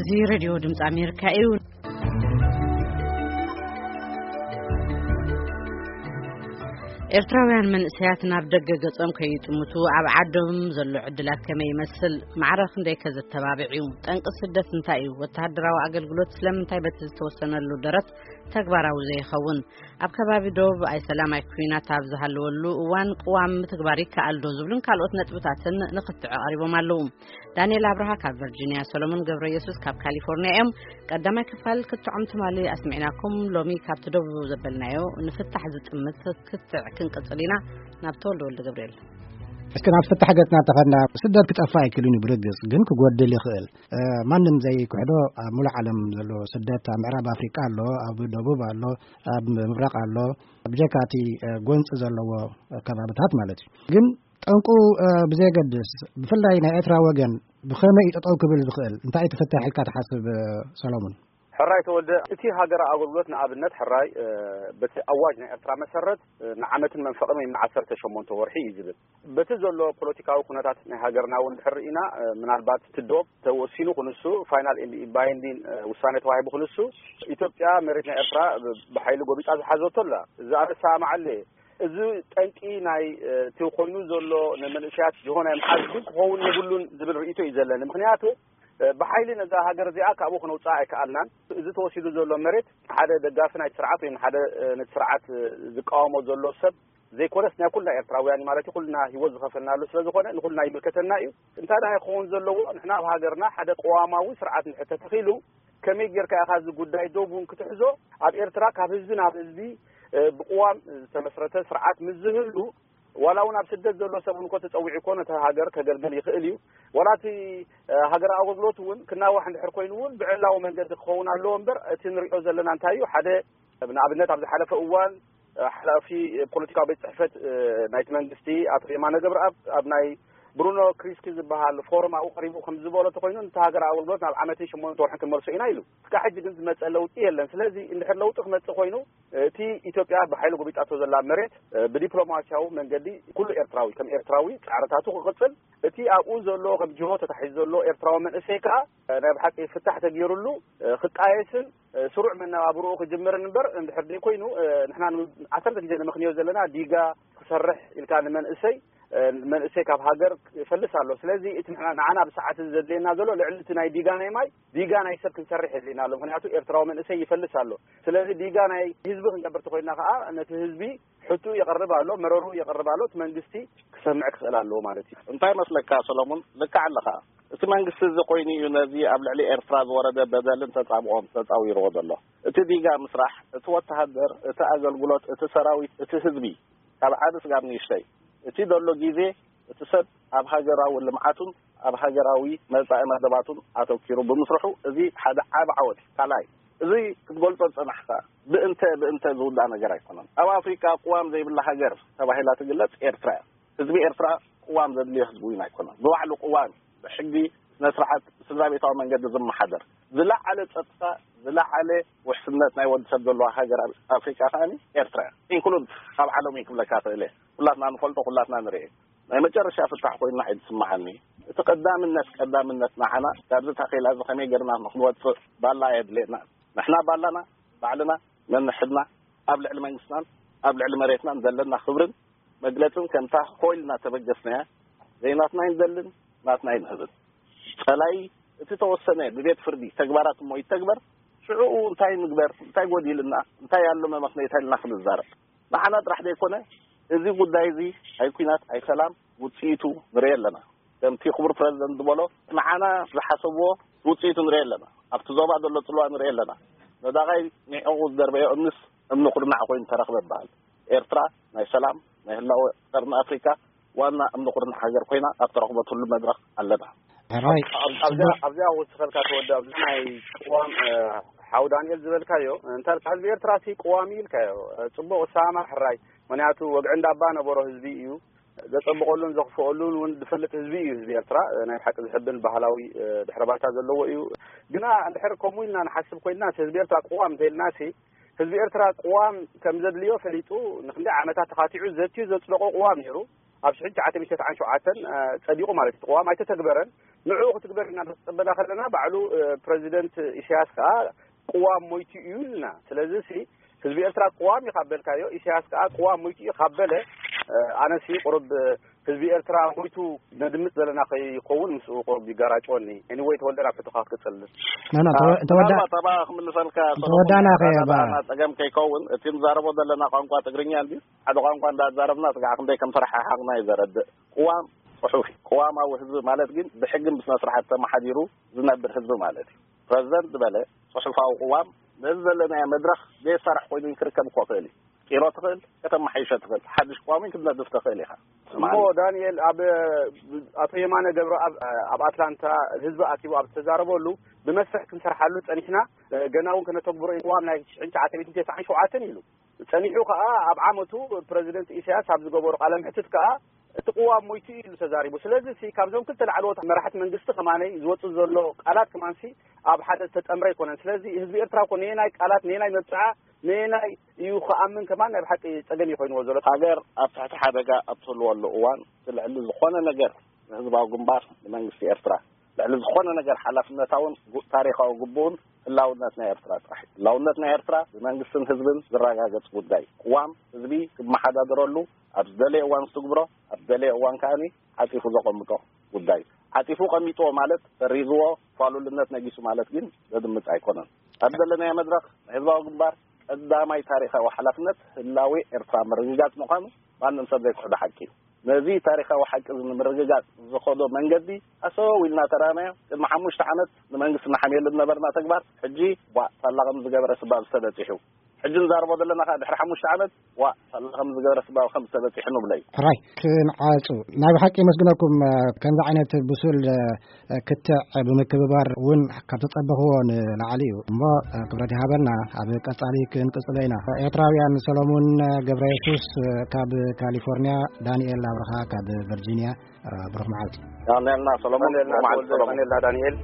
እዚ ሬድዮ ድምፂ ኣሜሪካ እዩ። ኤርትራውያን መንእሰያት ናብ ደገ ገጾም ከይጥምቱ ኣብ ዓዶም ዘሎ ዕድላት ከመይ ይመስል? ማዕረ ክንደይ ከ ዘተባብዕ እዩ? ጠንቂ ስደት እንታይ እዩ? ወተሃደራዊ ኣገልግሎት ስለምንታይ በቲ ዝተወሰነሉ ደረት ተግባራዊ ዘይኸውን? ኣብ ከባቢ ዶብ ኣይሰላም ኣይኩናት ኣብ ዝሃለወሉ እዋን ቅዋም ምትግባር ይከኣል ዶ ዝብሉን ካልኦት ነጥብታትን ንክትዕ ቀሪቦም ኣለዉ። ዳንኤል ኣብርሃ ካብ ቨርጂኒያ፣ ሰሎሞን ገብረ ኢየሱስ ካብ ካሊፎርኒያ እዮም። ቀዳማይ ክፋል ክትዖም ትማሊ ኣስሚዕናኩም። ሎሚ ካብቲ ደቡብ ዘበልናዮ ንፍታሕ ዝጥምት ክትዕ ክንቅጽል ኢና። ናብ ተወልደ ወልደ ገብርኤል። እስቲ ናብ ፍታሕ ገጽና እንተኸድና፣ ስደት ክጠፍእ ኣይክእልን እዩ ብርግጽ፣ ግን ክጎድል ይኽእል። እ፣ ማንም ዘይክሕዶ ኣብ ሙሉእ ዓለም ዘሎ ስደት ኣብ ምዕራብ ኣፍሪቃ ኣሎ፣ ኣብ ደቡብ ኣሎ፣ ኣብ ምብራቕ ኣሎ፣ ብጀካ እቲ፣ እ፣ ጎንጺ ዘለዎ ከባብታት ማለት እዩ። ግን ጠንቁ፣ እ፣ ብዘየገድስ፣ ብፍላይ ናይ ኤርትራ ወገን ብኸመይ እዩ ጠጠው ክብል ዝኽእል? እንታይ እዩ ትፍታሕ ኢልካ ትሓስብ፣ እ፣ ሰሎሞን? ሕራይ ተወልደ፣ እቲ ሃገራዊ ኣገልግሎት ንኣብነት ሕራይ፣ እ፣ በቲ ኣዋጅ ናይ ኤርትራ መሰረት፣ እ፣ ንዓመትን መንፈቕን ወይ ንዓሰርተ ሸሞንተ ወርሒ እዩ ዝብል። በቲ ዘሎ ፖለቲካዊ ኩነታት ናይ ሃገርና እውን ድሕር ርኢና፣ እ፣ ምናልባት እቲ ዶብ ተወሲኑ ክንሱ፣ ፋይናል ኤንድ ባይንዲን፣ እ፣ ውሳኔ ተዋሂቡ ክንሱ፣ ኢትዮጵያ መሬት ናይ ኤርትራ ብ-፣ ብሓይሊ ጎቢጣ ዝሓዘቶ ኣላ። እዚ ኣነ እሰማማዓሉ እየ። እዚ ጠንቂ ናይ፣ እ፣ እቲ ኮይኑ ዘሎ ንመንእሰያት ጅሆ ናይ ምሓዝ ግን ክኸውን የብሉን ዝብል ርእይቶ እዩ ዘለኒ። ምኽንያቱ፣ እ፣ ብሓይሊ ነዛ ሃገር እዚኣ ካብኡ ክነውፅኣ ኣይከኣልናን። እዚ ተወሲዱ ዘሎ መሬት ሓደ ደጋፊ ናይቲ ስርዓት ወይ ሓደ፣ እ፣ ነቲ ስርዓት፣ እ፣ ዝቃወሞ ዘሎ ሰብ ዘይኮነስ ናይ ኩልና ኤርትራውያን እዩ ማለት እዩ። ኩልና ህይወት ዝኸፈልናሉ ስለ ዝኾነ ንኩልና ይምልከተና እዩ። እንታይ ደኣ ክኸውን ዘለዎ፣ ንሕና ኣብ ሃገርና ሓደ ቅዋማዊ ስርዓት እንድሕር ተተኺሉ፣ ከመይ ጌርካ ኢኻ እዚ ጉዳይ ዶብ እውን ክትሕዞ? ኣብ ኤርትራ ካብ ህዝቢ ናብ ህዝቢ፣ እ፣ ብቅዋም ዝተመስረተ ስርዓት ምስ ዝህሉ፣ ዋላ እውን ኣብ ስደት ዘሎ ሰብ እውን እኮ ተጸዊዑ እኮ ነቲ ሃገር ከገልግል ይኽእል እዩ። ዋላ እቲ፣ እ፣ ሃገራዊ ኣገልግሎት እውን ክናዋሕ እንድሕር ኮይኑ እውን ብዕላዊ መንገዲ ክኸውን ኣለዎ እምበር፣ እቲ ንሪኦ ዘለና እንታይ እዩ? ሓደ፣ ንኣብነት ኣብ ዝሓለፈ እዋን፣ እ፣ ሓላፊ ፖለቲካዊ ቤት ጽሕፈት፣ እ፣ ናይቲ መንግስቲ ኣቶ የማነ ገብረኣብ ኣብ ናይ ብሩኖ ክሪስኪ ዝበሃል ፎረም ኣብኡ ቀሪቡ ከም ዝበሎ ተኮይኑ፣ ነቲ ሃገራዊ ኣገልግሎት ናብ ዓመትን ሸሞንተ ወርሕን ክንመልሶ ኢና ኢሉ። እስካብ ሕጂ ግን ዝመጸ ለውጢ የለን። ስለዚ እንድሕር ለውጢ ክመጽእ ኮይኑ፣ እቲ ኢትዮጵያ ብሓይሊ ጎቢጣቶ ዘላ መሬት፣ እ፣ ብዲፕሎማሲያዊ መንገዲ ኩሉ ኤርትራዊ ከም ኤርትራዊ ጻዕርታቱ ክቕጽል፣ እቲ ኣብኡ ዘሎ ከም ጅሆ ተታሒዙ ዘሎ ኤርትራዊ መንእሰይ ከኣ፣ እ፣ ናይ ብሓቂ ፍታሕ ተገይሩሉ፣ እ፣ ክቃየስን፣ እ፣ ስሩዕ መነባብርኡ ክጅምርን እምበር፣ እንድሕር ደይኮይኑ፣ እ፣ ንሕና ን-፣ ዓሰርተ ግዜ ነመኽንዮ ዘለና ዲጋ ክሰርሕ ኢልካ ንመንእሰይ፣ እ፣ መንእሰይ ካብ ሃገር ይፈልስ ኣሎ። ስለዚ እቲ ንሕና፣ ንዓና ብሰዓት እዚ ዘድልየና ዘሎ ልዕሊ እቲ ናይ ዲጋ ናይ ማይ፣ ዲጋ ናይ ሰብ ክንሰርሕ የድልየና ኣሎ። ምኽንያቱ ኤርትራዊ መንእሰይ ይፈልስ ኣሎ። ስለዚ ዲጋ ናይ ህዝቢ ክንገብር ተኮይና ከኣ ነቲ ህዝቢ ሕቱ የቕርብ ኣሎ፣ መረሩ የቕርብ ኣሎ። እቲ መንግስቲ ክሰምዕ ክኽእል ኣለዎ ማለት እዩ። እንታይ መስለካ ሰሎሞን? ልክዕ ኣለኻ። እቲ መንግስቲ እዚ ኮይኑ እዩ ነዚ ኣብ ልዕሊ ኤርትራ ዝወረደ በደልን ተጻብኦን ተጻዊርዎ ዘሎ። እቲ ዲጋ ምስራሕ፣ እቲ ወተሃደር፣ እቲ ኣገልግሎት፣ እቲ ሰራዊት፣ እቲ ህዝቢ፣ ካብ ዓቢ ስጋብ ንእሽተይ፣ እቲ ዘሎ ግዜ፣ እቲ ሰብ ኣብ ሃገራዊ ልምዓቱን ኣብ ሃገራዊ መጻኢ መደባቱን ኣተኪሩ ብምስርሑ፣ እዚ ሓደ ዓቢ ዓወት እዩ። ካልኣይ፣ እዚ ክትገልጾ ዝጸናሕካ ብእንተ ብእንተ ዝውዳእ ነገር ኣይኮነን። ኣብ ኣፍሪቃ ቅዋም ዘይብላ ሃገር ተባሂላ ትግለጽ ኤርትራ እያ። ህዝቢ ኤርትራ ቅዋም ዘድልዮ ህዝቢ እውን ኣይኮነን። ብባዕሉ ቅዋም፣ ብሕጊ፣ ስነ ስርዓት፣ ስድራ ቤታዊ መንገዲ ዝመሓደር፣ ዝለዓለ ጸጥታ፣ ዝለዓለ ውሕስነት ናይ ወዲ ሰብ ዘለዋ ሃገር ኣብ ኣፍሪቃ ከኣ ኤርትራ እያ። ኢንክሉድ ካብ ዓለም እዩ ክብለካ ክእል እየ። ኩላትና ንፈልጦ፣ ኩላትና ንርኢ። ናይ መጨረሻ ፍታሕ ኮይና እዩ ዝስምዓኒ። እቲ ቀዳምነት፣ ቀዳምነት ንዓና ካብዚ ታኼላ እዚ ከመይ ጌርና ንክንወጽእ ባላ የድልየና። ንሕና ባላና ባዕልና ነንሕድና፣ ኣብ ልዕሊ መንግስትናን ኣብ ልዕሊ መሬትናን ዘለና ክብርን መግለጽን ከምታ ኮይል እናተበገስናያ ዘይናትና ኣይንደልን፣ ናትና ኣይንህብን። ጸላኢ እቲ ተወሰነ ብቤት ፍርዲ ተግባራት እሞ ይተግበር፣ ሽዑኡ እንታይ ንግበር፣ እንታይ ጎዲልና፣ እንታይ ኣሎ መመኽነይታ ኢልና ክንዛረብ። ንዓና ጥራሕ ዘይኮነ፣ እዚ ጉዳይ እዚ ኣይ ኲናት ኣይ ሰላም ውጽኢቱ ንርኢ ኣለና። ከምቲ ክቡር ፕረዚደንት ዝበሎ፣ ንዓና ዝሓሰብዎ ውጽኢቱ ንርኢ ኣለና። ኣብቲ ዞባ ዘሎ ጽልዋ ንርኢ ኣለና። ነዳቓይ ንዕቑ ዝደርበዮ እምንስ እምኒ ኩርናዕ ኮይኑ ተረኽበ ይበሃል። ኤርትራ ናይ ሰላም፣ ናይ ህላወ ቀርኒ ኣፍሪካ ዋና እምኒ ኩርናዕ ሃገር ኮይና ኣብ ተረኽበትሉ መድረኽ ኣለና። ሕራይ ኣብዚኣ ኣብዚኣ ክውስኸልካ ተወደ፣ ኣብዚ ናይ ቅዋም፣ እ፣ ሓው ዳንኤል ዝበልካዮ፣ እንታይ ኢልካ፣ ህዝቢ ኤርትራ ሲ ቅዋም ኢልካዮ፣ እ፣ ጽቡቕ እሳማ ሕራይ። ምክንያቱ ወግዒ እንዳባ ነበሮ ህዝቢ እዩ። ዘጸብቐሉን ዘኽፍኦሉን እውን ዝፈልጥ ህዝቢ እዩ ህዝቢ ኤርትራ። እ፣ ናይ ብሓቂ ዝሕብን ባህላዊ፣ እ፣ ድሕረ ባይታ ዘለዎ እዩ። ግና እንድሕር ከምኡ ኢልና ንሓስብ ኮይንና፣ ህዝቢ ኤርትራ ቅዋም እንተኢልናሲ፣ ህዝቢ ኤርትራ ቅዋም ከም ዘድልዮ ፈሊጡ፣ ንክንደይ ዓመታት ተኻቲዑ ዘትዩ ዘጽደቆ ቅዋም ነይሩ። ኣብ ሽሕን ትሽዓተ ሚእትን ተስዓን ሸውዓተን፣ እ፣ ጸዲቑ ማለት እዩ። እቲ ቅዋም ኣይተተግበረን። ንዕኡ ክትግበር ኢና ንፅበና ከለና ባዕሉ ፕረዚደንት ኢሳያስ ከዓ ቅዋም ሞይቱ እዩ ኢልና። ስለዚ ሲ ህዝቢ ኤርትራ ቅዋም እዩ ካብ በልካዮ፣ ኢሳያስ ከዓ ቅዋም ሞይቱ እዩ ካብ በለ፣ ኣነሲ ቁሩብ ህዝቢ ኤርትራ ሞይቱ ነድምፅ ዘለና ከይኸውን ምስኡ ቁሩብ ይጋራጭወኒ። Anyway ተወልደ ናብ ሕቶኻ ክትቅፅል። ተወዳ ክምልሰልካ ተወዳና ከየባ ጸገም ከይከውን እቲ ንዛረቦ ዘለና ቋንቋ ትግርኛ እንዲ ሓደ ቋንቋ እንዳዛረብና ስጋዕ ክንደይ ከም ተረሓሓቕና እዩ ዘረድእ። ቅዋም ጽሑፍ ቅዋማዊ ህዝቢ ማለት ግን ብሕግን ብስነ ስርዓት ተመሓዲሩ ዝነብር ህዝቢ ማለት እዩ። ፕረዚደንት ዝበለ ጽሑፋዊ ቅዋም ነዚ ዘለናዮ መድረኽ ዘየሳርሕ ኮይኑ ክርከብ እኮ ክእል እዩ። ቂሮ ትኽእል ከተመሓይሾ ትኽእል ሓድሽ ቅዋም ክትነድፍ ትኽእል ኢኻ። እሞ ዳንኤል ኣብ ኣቶ የማነ ገብረኣብ ኣብ ኣትላንታ ህዝቢ ኣኪቡ ኣብ ዝተዛረበሉ ብመስርሕ ክንሰርሓሉ ጸኒሕና ገና እውን ከነተግብሮ ቅዋም ናይ ሽሕን ትሽዓተ ሚእትን ተስዓን ሸውዓተን ኢሉ ጸኒሑ ከኣ ኣብ ዓመቱ ፕረዚደንት ኢሳያስ ኣብ ዝገበሩ ቃለ ምሕትት ከኣ እቲ ቅዋም ሞይቱ ኢሉ ተዛሪቡ። ስለዚ ሲ ካብዞም ክልተ ላዕለዎት መራሕቲ መንግስቲ ከማነይ ዝወጽእ ዘሎ ቃላት ከማንሲ ኣብ ሓደ ዝተጠምረ ኣይኮነን። ስለዚ ህዝቢ ኤርትራ እኮ ነየናይ ቃላት ነየናይ መብጽዓ ነየናይ እዩ ክኣምን ከማን ናይ ብሓቂ ጸገም እዩ ኮይንዎ ዘሎ። ሃገር ኣብ ትሕቲ ሓደጋ ኣብ ትህልወሉ እዋን ልዕሊ ዝኾነ ነገር ንህዝባዊ ግንባር ንመንግስቲ ኤርትራ ልዕሊ ዝኾነ ነገር ሓላፍነታውን ታሪኻዊ ግቡኡን ህላውነት ናይ ኤርትራ ጥራሕ እዩ። ህላውነት ናይ ኤርትራ ብመንግስትን ህዝብን ዝረጋገጽ ጉዳይ እዩ። ቅዋም ህዝቢ ክመሓዳደረሉ ኣብ ዝደለየ እዋን ዝትግብሮ ኣብ ዝደለየ እዋን ከኣ ዓጺፉ ዘቐምጦ ጉዳይ እዩ። ዓጺፉ ቀሚጥዎ ማለት ሰሪዝዎ ፋሉልነት ነጊሱ ማለት ግን ዘድምጽ ኣይኮነን። ኣብ ዘለናዮ መድረኽ ናይ ህዝባዊ ግንባር ቀዳማይ ታሪኻዊ ሓላፍነት ህላዌ ኤርትራ ምርግጋጽ ምዃኑ ማንም ሰብ ዘይክሕዶ ሓቂ እዩ። ነዚ ታሪኻዊ ሓቂ እዚ ንምርግጋጽ ዝኸዶ መንገዲ ኣሰው ኢልና ተራእናዮ። ቅድሚ ሓሙሽተ ዓመት ንመንግስቲ ንሓምየሉ ዝነበርና ተግባር ሕጂ ቧእ ሳላ ከም ዝገበረ ስባብ ዝተበጺሑ ሕጂ ንዛረቦ ዘለና ከዓ ድሕሪ ሓሙሽተ ዓመት ዋእ ሳላ ከም ዝገበረ ስባብ ከም ዝተበጺሑ ንብሎ እዩ። ሕራይ ክንዓጹ ናይ ብሓቂ የመስግነኩም። ከምዚ ዓይነት ብሱል ክትዕ ብምክብባር እውን ካብ ተጸበኽዎ ንላዕሊ እዩ እሞ ክብረት ይሃበልና። ኣብ ቀጻሊ ክንቅጽሎ ኢና። ኤርትራውያን ሰሎሙን ገብረ የሱስ ካብ ካሊፎርኒያ፣ ዳንኤል ኣብርኻ ካብ ቨርጂኒያ። ብሩኽ መዓልቲ። ዳንኤልና ሰሎሙን ዳንኤልና ብሩኽ መዓልቲ ተወልደ ሰሎሙን። ዳንኤልና ዳንኤል